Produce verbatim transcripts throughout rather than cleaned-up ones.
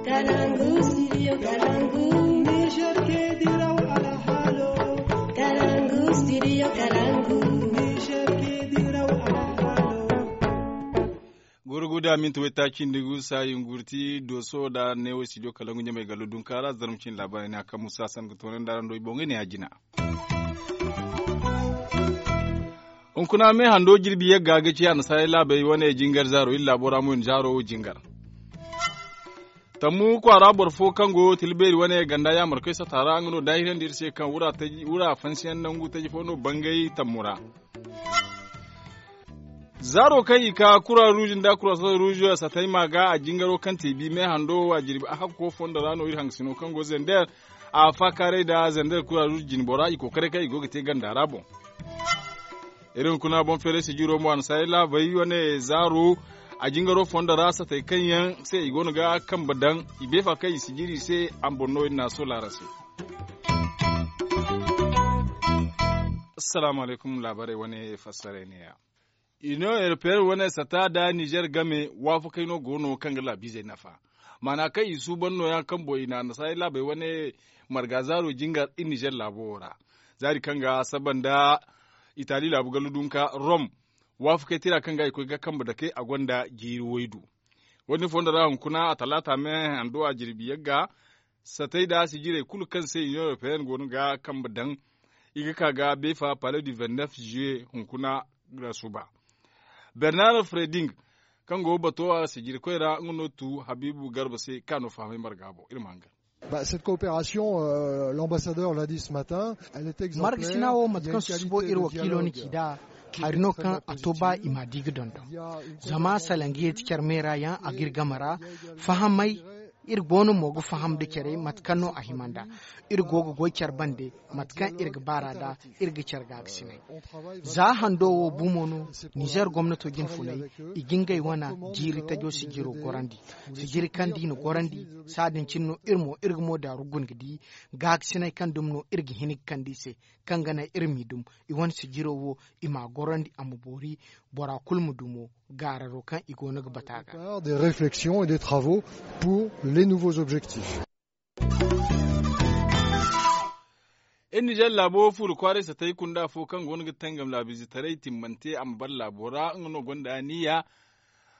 Kalangu, studio Kalangu. Niger ke diraw alhalo. Kalangu, studio Kalangu. Niger ke diraw alhalo. Gurguda minti wayta cindi gu sayin gurti doso da newo studio Kalangu ɲamay gallo dunkaara zarma cin labarai ne a kaŋ musa san ga toonandi araŋ do i boŋ ga ne a jina. Hunkuna me hando jirbi yagga ga ci annasaray laabey wane jingar zaaro iri laabo ra mo iri zaaro jingar. Tammu kwaara boro fo kaŋ go tilbeeri wane ganda yaamarkoy sata ra nga no daahirandi iri se kaŋ wura fansiyaŋ nangu taji fo no bangay tammu ra. Zaaro kaŋ i ka kura ruuj nda kura soda ruuj satay ma ga a jingaro kaŋ te bi me hando a jirbi a hakko fondo ra no iri hangasino kaŋ go zender a faakaaray nda zender kura ruuj jinbora i kookaray kaŋ i go ga te ganda ra boŋ. Iri hunkuna boŋ feeray sijiro mo a na saari laabey wane zaaro a jingaro fondo ra satay kaŋ yaŋ se i go no ga kambe daŋ i beefa kaŋ i sijiri se a ma boŋ no iri na a sola araŋ se. Assalaamu alaykum laabaarey wane fassaray neeya. Iniyoŋ europeyenne wane sata nda nizer game waafakey no go no kaŋ ga laabiizey nafa. Maana kaŋ i suuban nooya kaŋ boŋ i na annasaarey laabey wane marga zaaro jingar iri nizer laabo wo ra zaari kaŋ ga saba nda itali laabu gallu dunka rom. Waafakey tira kaŋ ga i koy ga kambe dake a gonda jiiri waydu. Wo- din fondo ra hunkuna a talaata me hando a jirbi yagga satay nda sijirey kulu kaŋ se iniyoŋ europeyenne go no ga kambe daŋ i ga ka ga beefa pale du vingt-neuf juillet hunkuna ra suba. Bernard freding kaŋ go bato a sijirikoy ra nga no tu habiibu garba se kaŋ a no fahamay marga boŋ iri ma hangan. Cette coopération, l'ambassadeur l'a dit ce matin, elle est exemplaire. Marga sina wo mate kaŋ susubo iri wakiilo na ci nd'a hari no kaŋ a to ba i ma di ga dondon. Zama salangiyey ti care me ra yaŋ a ga iri game ra fahamay. Iri go no mo ga faham nda care mate kaŋ no a hima nd'a. Iri go ga goy care bande mate kaŋ iri ga baar'a nd'a. Iri ga care gaagasinay za hando wo bumo no. Nizer gomnato jinfunay i ga ngey wane jiiri tajo sijiro gorandi. Sijiri kaŋ da i na gorandi saadin cine no iri mo iri ga mo daaru guna ga di gaagasinay kaŋ dumi no iri ga hin ga kande i se. Kaŋ ga naŋ iri m'i dum i wane sijiro wo i m'a gorandi a ma boori. Bora kulu ma du mo gaararo kaŋ i go no ga bata ga. Des réflexions et des travaux pour les nouveaux objectifs. Iri nizer laabo fuuri kwaaray satay kunda fo kaŋ go no ga tangam laabiizetaray timmante a ma bare laabo ra nga no gonda aniya.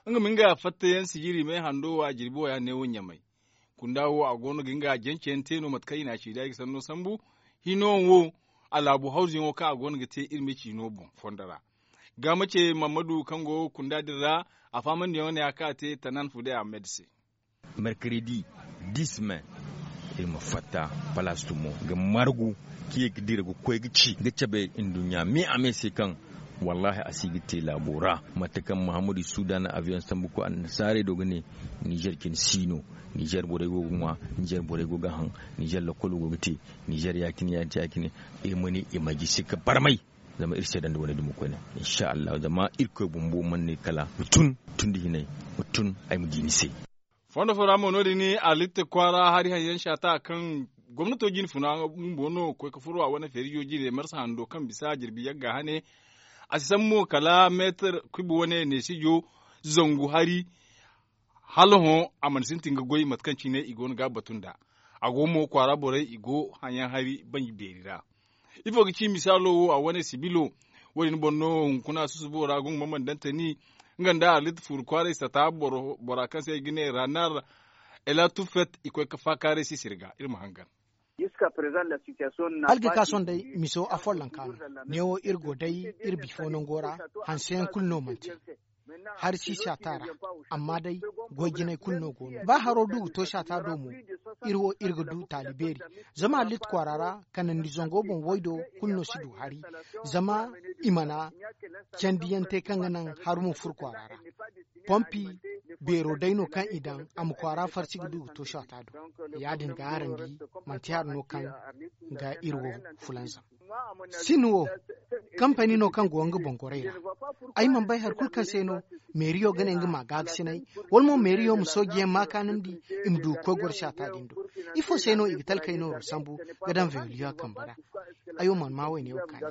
Nga ma nga fattayaŋ sijiri me hando wo a jirbi wo ya neewo ɲamay. Kunda wo a go no ga nga janceyaŋ te no mate kaŋ i na a ci da i ga sanno sambu. Hino wo a laabu hawzuyaŋo kaŋ a go no ga te iri me ciino boŋ fondo ra. Ga mace mammadu kaŋ go kunda din ra a fahamandiyaŋo ne a kaŋ a te tanan fude ahmed se. Mercredi dis me iri ma fatta palaas tumo ga margu ka ye ga dira ga koy ga ci ga cabe nduɲɲa me a me se kaŋ wallaahi a si ga te laabo ra. Mate kaŋ muhammadu isuuda na aviyoŋ sambu koy annasaarey do ga ne nizer cine si no. Nizer borey go ga ŋwa. Nizer borey go ga haŋ. Nizer lakkolo go ga te. Nizer ya- cine ya- cine ya- cine. Iri ma ne i ma gisi ga barmay. Zama iri seeda nda wane dumo koyne insa allahu zama irkoy bumbo mana ne kala ma tun tun da hinay ma tun ay ma di ni se. Fondo fo ra mo no- din arlitta kwaara hari haŋ yaŋ saata kaŋ gomnato jinfuna bumbo no ga koy ga furo a wane feerijo jine marsa hando kaŋ bisa jirbi yagga hane. A si sambu mo kala meetar kubi wane neesijo zangu hari. Hala hõ a mana sintin ga goy mate kaŋ cine i go no ga a batu nd'a. A go mo kwaara borey i go haŋyaŋ hari banji beeri ra. Ifo ga ci misaalo wo a wane sibilo? Wo- din boŋ no hunkuna susubo ra gungu ma mana daŋ tani nga nda arlit fuuru kwaaray sata bora kaŋ se i ga ne ranar ela tufet i koy ga faakaaray sisir ga iri ma hangan. Algikason day miso afollonka no. Neewo iri go day iri bifo nango ra hanseyaŋ kulu no manti. Hari si saata ra amma day goy jinay kulu no go no ba haro du ga to saata do mo. Iri wo iri ga du taali beeri zama allit kwaara ra kanandi zango boŋ waydo kulu no si du hari. Zama i mana candiyaŋ te kaŋ ga naŋ hari ma furo kwaara ra. Pompi beero day no kaŋ i daŋ a ma kwaara farsi ga du ga to saata do. Ya- din ga harandi manti hari no kaŋ ga iri wo fulanzam. Sin wo kampani no kaŋ go nga boŋ goray ra. Ay mana bay hari kulu kaŋ se no meeriyo ga ne nga ma gaagasinay wala mo meeriyo ma soojiyaŋ ma kaanandi i ma du ga koy goro saata din do. Ifo se no i ga talkey nooro sambu ga daŋ veoliya kambe ra? Ay wo mana ma wayne wo kaani.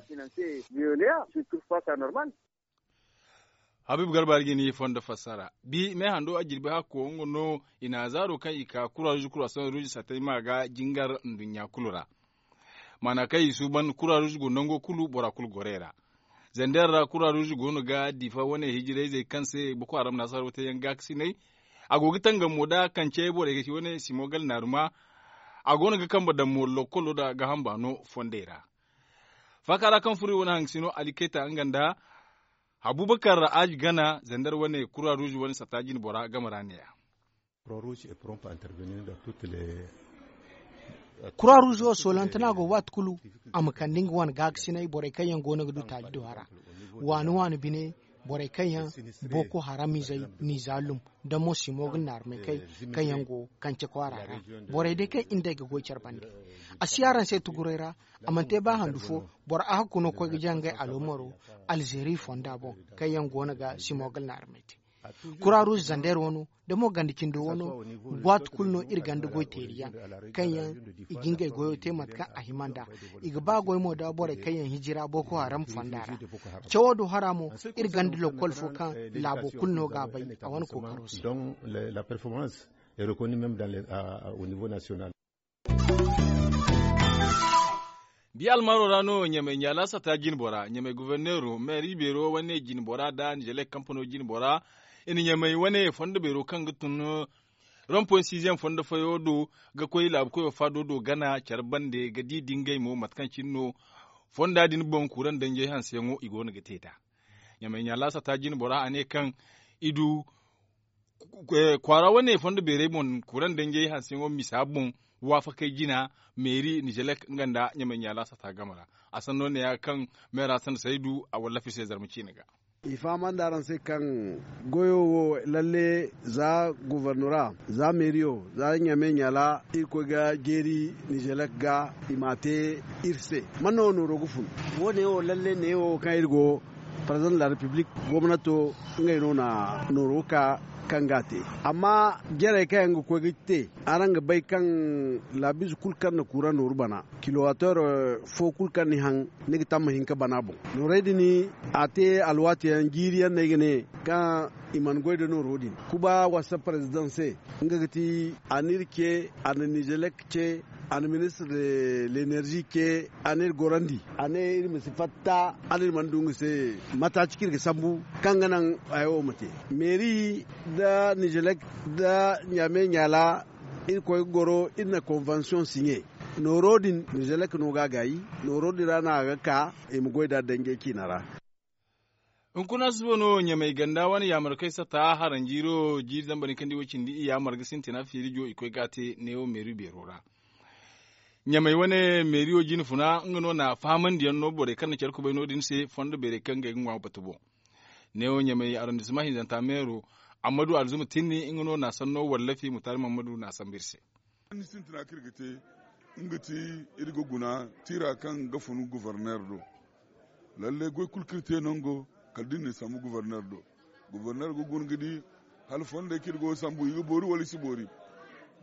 Habiibu garba ga ni fondo fassara bi meehando a jirbi hakko nga no i na a zaaro kaŋ i ka kura ruuzi kura sohõ ruuzi satay ma ga jingar nduɲɲa kulu ra. Maana kaŋ i suuban kura ruuzi go nango kulu bora kulu gorey ra. Zander ra kura ruuzi go no ga diifa wane hijirayzey kaŋ se boko haram na sarwa te yaŋ gaakasinay. A go ga tangam mo da kance borey ga ci wane simogal naaruma. A go no ga kambe daŋ mo lokkolo da gaaham baano fondey ra. Faaka ra kaŋ furo i wane hangasino ali kayta nga nda abubakar aaji gana zander wane kura ruuzi wane satta jine bora game ra ne-ya. Kura ruuzi wo soolante no a go waati kulu a ma kande nga wane gaakasinay borey kaŋ yaŋ go no ga du taali do a ra. Waani waani bine borey kaŋ yaŋ boko haramizey n'i zaalum nda mo simogal naarumey kaŋ yaŋ go kance kwaara ra. Borey day kaŋ iri nd'ey ga goy care bande a si araŋ se tuguray ra. A mana te ba handu fo boro ahakku no koy ga jaŋ ngey aloomaro alzeeri fonda boŋ kaŋ yaŋ go no ga simogal naarumey te. Kura ruuzi zander wano da mo ganda cindo wano waati kulu no iri ganda goy teeri yaŋ kaŋ yaŋ i ga ngey goyo te mate kaŋ a hima nd'a. I ga ba goy mo da borey kaŋ yaŋ hijira boko haram fonda ra. Cawo do hara mo iri ganda lokkol fo kaŋ laabo kulu no ga a bay a wane kookaro se. Di almaaro ra no ɲamay ɲaala sata jinbora ɲamay goforneero meeri beero wane jinbora nda nizelek kampano jinbora i na ɲamay wane fondo beero kaŋ ga tun rompoy siziyaŋ fondo fayo do ga koy laabu koyo faado do gana care bande ga di dingay mo mate kaŋ cine no fonda din boŋ kuuraŋ danjey hanseyaŋo i go no ga te nd'a. Ɲamay ɲaala sata jinbora a ne kaŋ i du kwaara wane fondo beerey boŋ kurandanjey hanseyaŋo misa boŋ waafakey jina meeri nizelek nga nda ɲamay ɲaala sata game ra. A sanno ne ya kaŋ meera sanda saydu a wallafi se zarma ciine ga. I fahamandi araŋ se kaŋ goyo wo lalle za gofornora za meeriyo za ɲamay ɲaala irkoy ga jeeri nizelek ga i m'a te iri se. Man no nooro ga fun? Wo- ne wo lalle ne wo kaŋ iri go parezidaŋ de la repiblik gomnato ngey no na nooro ka kaŋ ga a te. Amma jarey kaŋ yaŋ ga koy ga te araŋ ga bay kaŋ laabiize kulu kaŋ na kuuraŋ nooru bana kilowater fo kulu kaŋ ni haŋ ni ga tamma hinka bana boŋ. Noorey din a te alwaati yaŋ jiiri yaŋ no ay ga ne kaŋ i mana goy nda nooro din kuba wasa parezidaŋ se. Nga ga ti a na iri ce a na nizelek ce a na ministre de lenerzi ce a na iri gorandi a ne iri ma si fatta hala iri mana du nga se mataaci kaŋ iri ga sambu kaŋ ga naŋ hayo wo ma te. Meeri nda nizelek nda ɲaame ɲaala iri koy ga goro iri na konvansiyoŋ siɲe. Nooro din nizelek no ga a gaayi. Nooro din ra no a ga ka i ma goy nd'a danjey ciina ra. Hunkuna suba no ɲamay ganda wane yaamarkey sata haranjiiro jiiri zambar hinkandi wo cindi i yaamar ga sintina feerijo i koy ga a te neewo meeri beero ra. Ɲamay wane meeriyo jine funa nga no na a fahamandiyaŋ no borey kaŋ na care kubay no- din se fondo beerey kaŋ ga ay ga ŋwa batu boŋ. Neewo ɲamay arondisma hinzanta meero ammadu alzuma tinni nga no na a sanno wallafi mutaari mammadu na a sambu iri se. Ni sintina kaŋ iri ga te nga ti iri ga guna tiira kaŋ ga funu goforneer do. Lalle goy kulu kaŋ iri te nango kala da iri na sambu goforneer do. Goforneer ga guna ga di hala fondey kaŋ iri go ga sambu i ga boori wala i si boori.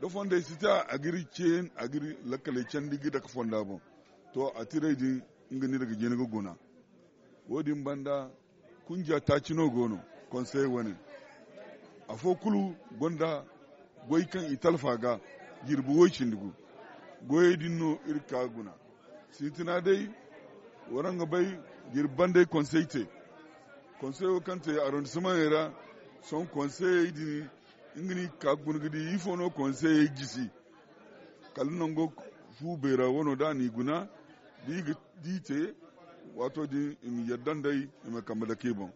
Da fondey si te a ga iri ce a ga iri lakkaley candi ga dake fonda boŋ. To a tiray din nga no iri ga jina ga guna. Wo- din banda kunja taaci no go no konsey wane. Afo kulu gonda goy kaŋ i talfa ga jirbi woy cindi gu. Goyey din no iri ga ka ga guna. Sintina day waraŋ ga bay jirbi bandey konsey te. Konsey wo kaŋ te arondisimaŋey ra sohõ konseyey din nga no i ga ka ga guna ga di ifo no konseyey jisi. Kala nango fu beera wano da a n'i guna da i ga di te. Waato din i ma yadda nd'ey i ma kambe dake i boŋ.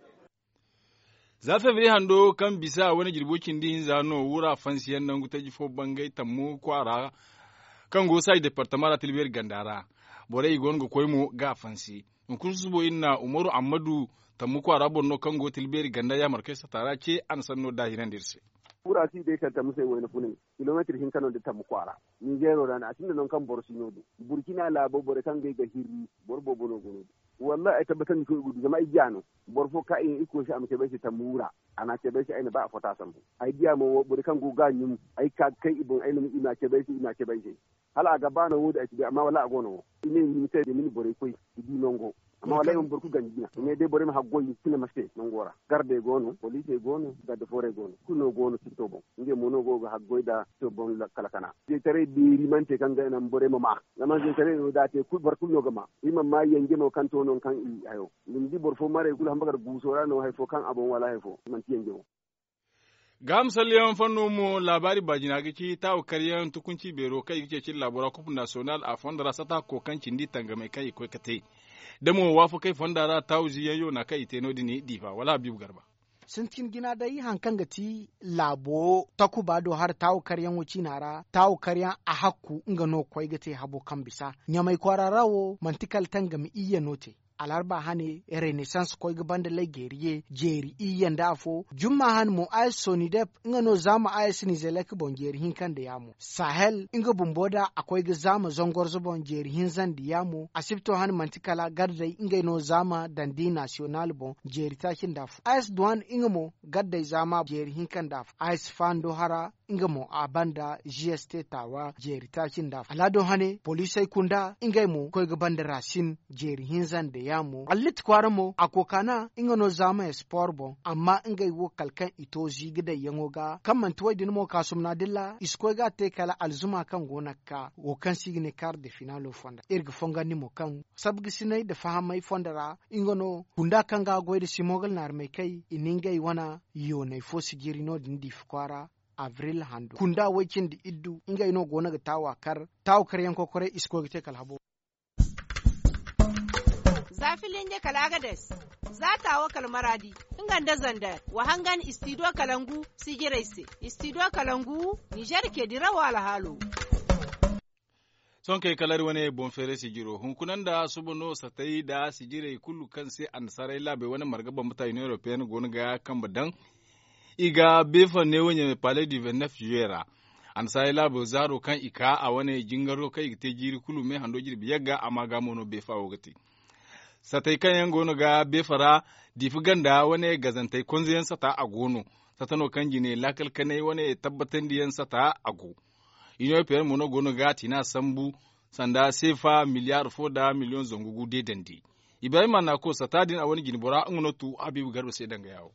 Za febriye hando kaŋ bisa wane jirbo cindi hinza no wura fansiyaŋ nangu taji fo bangay tammu kwaara kaŋ go saaji departama ra tilbeeri ganda ra. Borey i go no ga koy mo ga a fansi. Hunkuna susubo iri na umaru ammadu tammu kwaara boro no kaŋ go tilbeeri ganda yaamarkey sata ra ce a na sanno daahirandi iri se. Wura si day kaŋ tammu se wayna funay kilomeetir hinka no nda tammu kwaara. Ninzeero ra no a sinda nangu kaŋ boro si no din. Burkina laabo borey kaŋ ga ay ga hirri boro boobo no go no din. Wallahi ay tabbatandi koy ga du zama ay ja no. Boro fo ka i ne irkoy se a ma cabe ay se tammu wura. A na a cabe ay se ay na ba afo ta sambu. Ay diya mo wo borey kaŋ go ga a ɲum, ay ka ga kay i boŋ ay na i ma a cabe ay se i ma a cabe ay se. Hala a ga ba no wo- din ay si bay amma wallaahi a go no wo. I ne i ma ni se da ni na borey koy i di nango. Amma wallaahi i mana boro kulu ganji jina i ne day borey ma haggoy i ma cine ma se nango ra. Gardey go no poliisey go no garde foorey go no kulu no go no sipto boŋ. Ngey mo no go ga haggoy nd'a sipto boŋ lakkal kana. Zeetaray beeri mana te kaŋ ga naŋ borey ma ma. Zama zeetaray no da a te boro kulu no ga ma. I mana ma yanje mo kaŋ to nangu kaŋ i hayo. Ni ma di boro fo marey kulu hamba kala guuso ra no hari fo kaŋ a boŋ wala hari fo manti yanje boŋ. Gaaham salliyaŋ fanno mo laabaari baajina ga ci taawu karyaŋ tukunci beero kaŋ i ga ceeci laabo ra kop nasiyonal a fondo ra sata ko kaŋ cindi tangamey kaŋ i koy ga te. Da mo waafakey fonda ra taawu ziyaŋ yoona kaŋ i te no- din diifa wala habiibu garba. Sintin jina day hari kaŋ ga ti laabo takuba do hari taawu karyaŋo ciina ra taawu karyaŋ a hakku nga no ga koy ga te habo kaŋ bisa ɲamay kwaara ra wo manti kala tangami iyye no te. Alharba hane renesans koy ga banda lay geeriye jeeri iyye nda afo jumma hane mo a s sonidep nga no zaama a s nizelek boŋ jeeri hinka nda yaamo sahel nga bumbo da a koy ga zaama zangorzo boŋ jeeri hinza nda yaamo asibto hane manti kala gardey ngey no zaama dandi nasiyonal boŋ jeeri taaci nda afo a s duwan nga mo gardey zaama jeeri hinka nda afo a s fando hara nga mo a banda g s t taawa jeeri taaci nda afo alado hane poliisey kunda ngey mo koy ga banda rasin jeeri hinza nda yaamo allit kwaara mo a kookana nga no zaama espor boŋ amma ngey wo kala kaŋ i to ziiga dayyaŋo ga kaŋ manti wo- din mo kaasumna dilla i si koy ga a te kala alzuma kaŋ go no ga ka wo kaŋ se i ga ne kaar de finaalo fonda iri ga fongandi mo kaŋ sabgasinay nda fahamay fonda ra nga no kunda kaŋ ga a goy nda simogal naarmey kay i na ngey wane yoonay fo sijiri no- din diifa kwaara abril hando kunda way cindi iddu ngey no go no ga taawa kar taawa kar yaŋ kokoray i si koy ga te kala habo. Za filinje kala agades za taawa kala maraadi nga nda zander wa hangan istidiyo kala ngu sijirey se istidiyo kala ngu nizer ke dirawo alhaalo. Sohõ kay kala iri wane boŋ feeray sijiro hunkuna nda suba no satay nda sijirey kulu kaŋ se annasaarey laabey wane marga bambata union europeenne go no ga kambe daŋ. I ga beefa ne wo-ɲamey palais du vingt-neuf juillet ra. Annasaarey laabo zaaro kaŋ i ka a wane jingaro kaŋ i ga te jiiri kulu me hando jirbi yagga amma ga mo no beefa wo ga te. Satay kaŋ yaŋ go no ga beefa ra diifa ganda wane gazantey konze yaŋ sata a go no. Sata no kaŋ jine laakal kanay wane tabbatandi yaŋ sata a go. Iniyoŋ peeyaŋ mo no go no ga a tina sambu sanda seefa miliyaar fo nda miliyoŋ zangu gu deedandi. Ibrahim annako sata din a wane jinbora nga no tu habiibu garba se danga yaawo.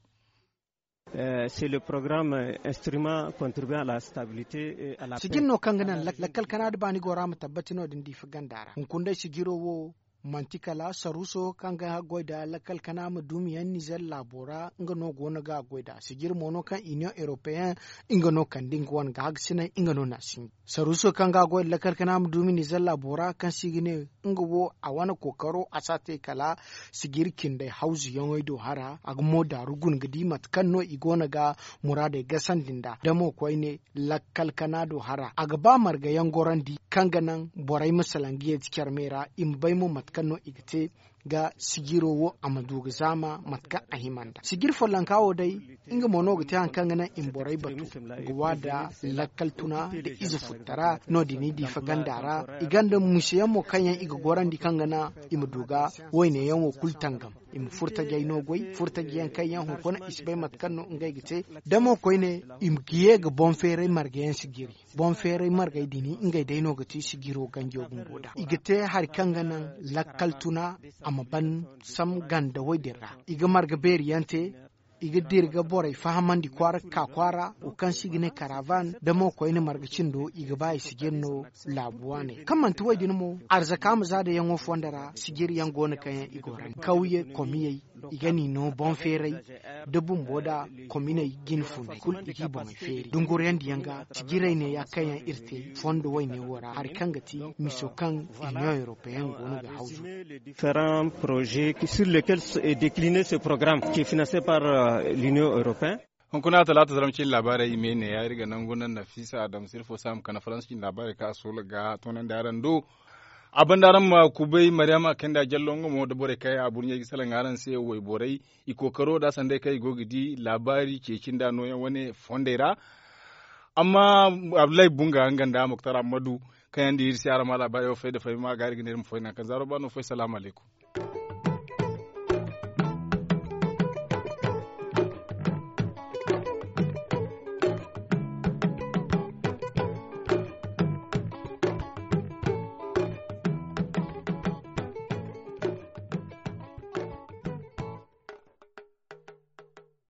C'est le programme instrument contribuant à la stabilité et à la paix. Sijin no kaŋ ga naŋ lakkal kana da baani gora ma tabbati no- din diifa ganda ra hunkuna day sijiro wo manti kala saruuso kaŋ ga goy nda lakkal kana ma duumi yaŋ nizer laabo ra nga no go no ga a goy nd'a sijir mo no kaŋ iniyoŋ europeyen nga no kande nga wane ga hagasinay nga no n'a sinji saruuso kaŋ ga a goy nda lakkal kana ma duumi nizer laabo ra kaŋ se i ga ne nga wo a wane kookaro a si a te kala sijir cindey hawzuyaŋey do hara a ga mo daaru guna ga di mate kaŋ no i go no ga muraadey gasandi nd'a da mo koyne lakkal kana do hara a ga ba marga yaŋ gorandi kaŋ ga naŋ borey ma salaŋ ga yeeti care me ra i ma bay mo mate kaŋ no i ga te ga sijiro wo a ma du ga zaama mate kaŋ a hima nd'a sijir follonka wo day nga mo no ga te hari kaŋ ga naŋ i ma borey batu ga wa nda lakkal tuna nda ize futtara no- din i diifa ganda ra i gonda muse yaŋ mo kaŋ yaŋ i ga gorandi kaŋ ga naŋ i ma du ga wayne yaŋ wo kulu tangam i ma furtajey no goy furtajey yaŋ kaŋ yaŋ hunkuna i si bay mate kaŋ no ngey ga te da mo koyne i ma ga ye ga boŋ feeray marga yaŋ sijiri boŋ feeray margey din ngey day no ga ti sijiro ganjo bumbo nd'a i ga te hari kaŋ ga naŋ lakkal tuna a ma ban sam ganda wo- din ra i ga marga beeri yaŋ te i ga dira ga borey fahamandi kwaara ga ka kwaara wo kaŋ se i ga ne karavan da mo koyne marga cindo i ga ba i sijir no laabu waaney kaŋ manti wo- din mo arzaka ma za da yaŋo fonda ra sijir yaŋ go no kaŋ yaŋ i goro kawye komiyey i ga n'i no boŋ feeray da bumbo da kominey jine fundey kulu i g'i boŋey feeri dunguryandiyaŋ ga sijirey neeya kaŋ yaŋ iri te fondo wayne wo ra hari kaŋ ga ti miso kaŋ iniyoŋ europeyen go no ga hawzu. Différents projets sur lesquels est décliné ce programme qui est financé par l'union européenne. Hunkuna talaata zaram cine laabaarey i me neeya iri ga nangu naŋ nafisa adam sirfo saam kana faransa cine laabaarey kaŋ a soola ga toonandi araŋ do. A banda araŋ ma kubay mariyama kayndi a jallo nga mo nda borey kaŋ yaŋ a burɲey ga salaŋ araŋ se wayborey i kookaro nda sanday kaŋ i go ga di laabaari ceeci nda nooyaŋ wane fondey ra. Amma abdullahi bunga nga nda muktar ammadu kaŋ yaŋ nda iri se araŋ ma laabaarey wo fay nda fay ma ga iri ga ne iri ma fay naŋ kaŋ zaaro ba no fay salaamu alaykum.